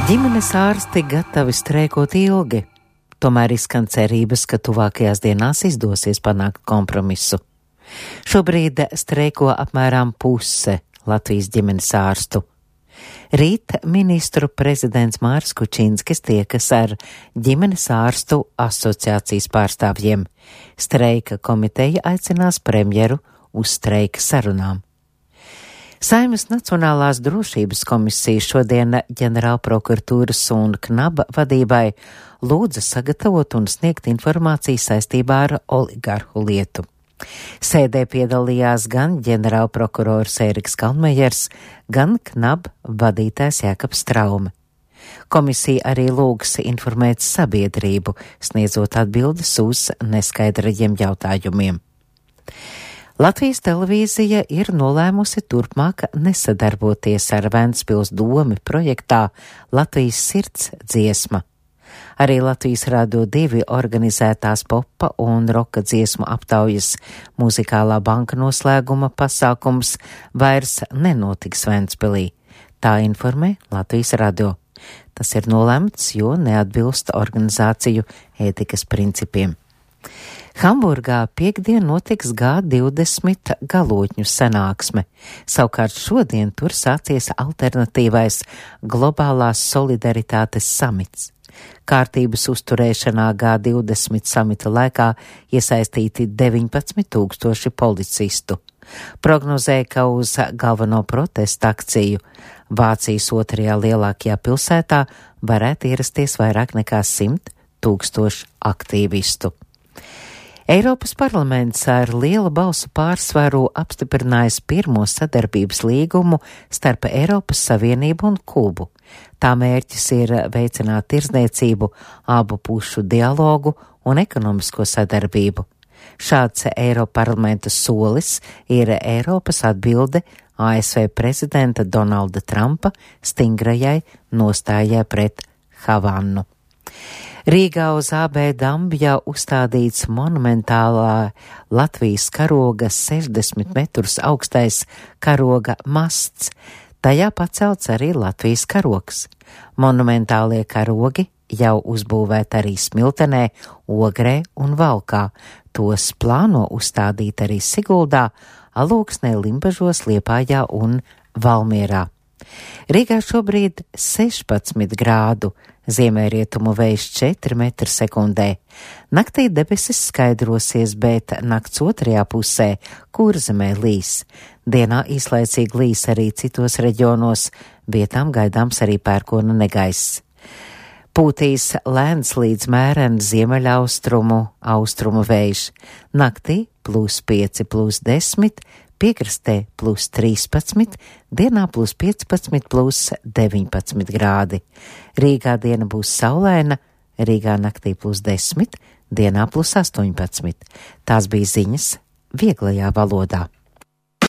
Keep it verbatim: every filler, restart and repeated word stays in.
Ģimenes ārsti gatavi streikot ilgi, tomēr izskan cerības, ka tuvākajās dienās izdosies panākt kompromisu. Šobrīd streiko apmēram puse Latvijas ģimenes ārstu. Rīt ministru prezidents Māris Kučinskis tiekas ar ģimenes ārstu asociācijas pārstāvjiem. Streika komiteja aicinās premjeru uz streika sarunām. Saeimas Nacionālās drošības komisija šodien ģenerālprokuratūras un knaba vadībai lūdza sagatavot un sniegt informāciju saistībā ar oligarhu lietu. Sēdē piedalījās gan ģenerālprokurors Ēriks Kalnmejers, gan knaba vadītājs Jākaps Straume. Komisija arī lūgs informēt sabiedrību, sniedzot atbildes uz neskaidrajiem jautājumiem. Latvijas televīzija ir nolēmusi turpmāk nesadarboties ar Ventspils domi projektā Latvijas sirds dziesma. Arī Latvijas Radio divi organizētās popa un roka dziesmu aptaujas muzikālā banka noslēguma pasākums vairs nenotiks Ventspilī. Tā informē Latvijas Radio. Tas ir nolēmts, jo neatbilst organizāciju ētikas principiem. Hamburgā piekdien notiks G divdesmit galotņu sanāksme, savukārt šodien tur sācies alternatīvais globālās solidaritātes samits. Kārtības uzturēšanā G divdesmit samita laikā iesaistīti deviņpadsmit tūkstoši policistu. Prognozēja, ka uz galveno protestu akciju Vācijas otrajā lielākajā pilsētā varētu ierasties vairāk nekā simt tūkstoši aktīvistu. Eiropas parlaments ar lielu balsu pārsvaru apstiprinājis pirmo sadarbības līgumu starp Eiropas Savienību un Kubu. Tā mērķis ir veicināt tirdzniecību, abu pušu dialogu un ekonomisko sadarbību. Šāds Eiroparlamenta solis ir Eiropas atbilde A S V prezidenta Donalda Trumpa stingrajai nostājai pret Havannu. Rīgā uz A B Dambjā uzstādīts monumentālā Latvijas karoga sešdesmit metrus augstais karoga masts. Tajā pacelts arī Latvijas karogs. Monumentālie karogi jau uzbūvēti arī Smiltenē, Ogrē un Valkā. Tos plāno uzstādīt arī Siguldā, Alūksnē, Limbažos, Liepājā un Valmierā. Rīgā šobrīd sešpadsmit grādu, ziemeļrietumu vējš četri metri sekundē. Naktī debesis skaidrosies, bet nakts otrajā pusē Kurzemē līs. Dienā īslaicīgi līs arī citos reģionos, vietām gaidāms arī pērkona negaiss. Pūtīs lēns līdz mēren ziemeļaustrumu, austrumu vējš. Naktī plus pieci, plus desmit, piekrastē plus trīspadsmit, dienā plus piecpadsmit, plus deviņpadsmit grādi. Rīgā diena būs saulaina, Rīgā naktī plus desmit, dienā plus astoņpadsmit. Tās bija ziņas vieglajā valodā.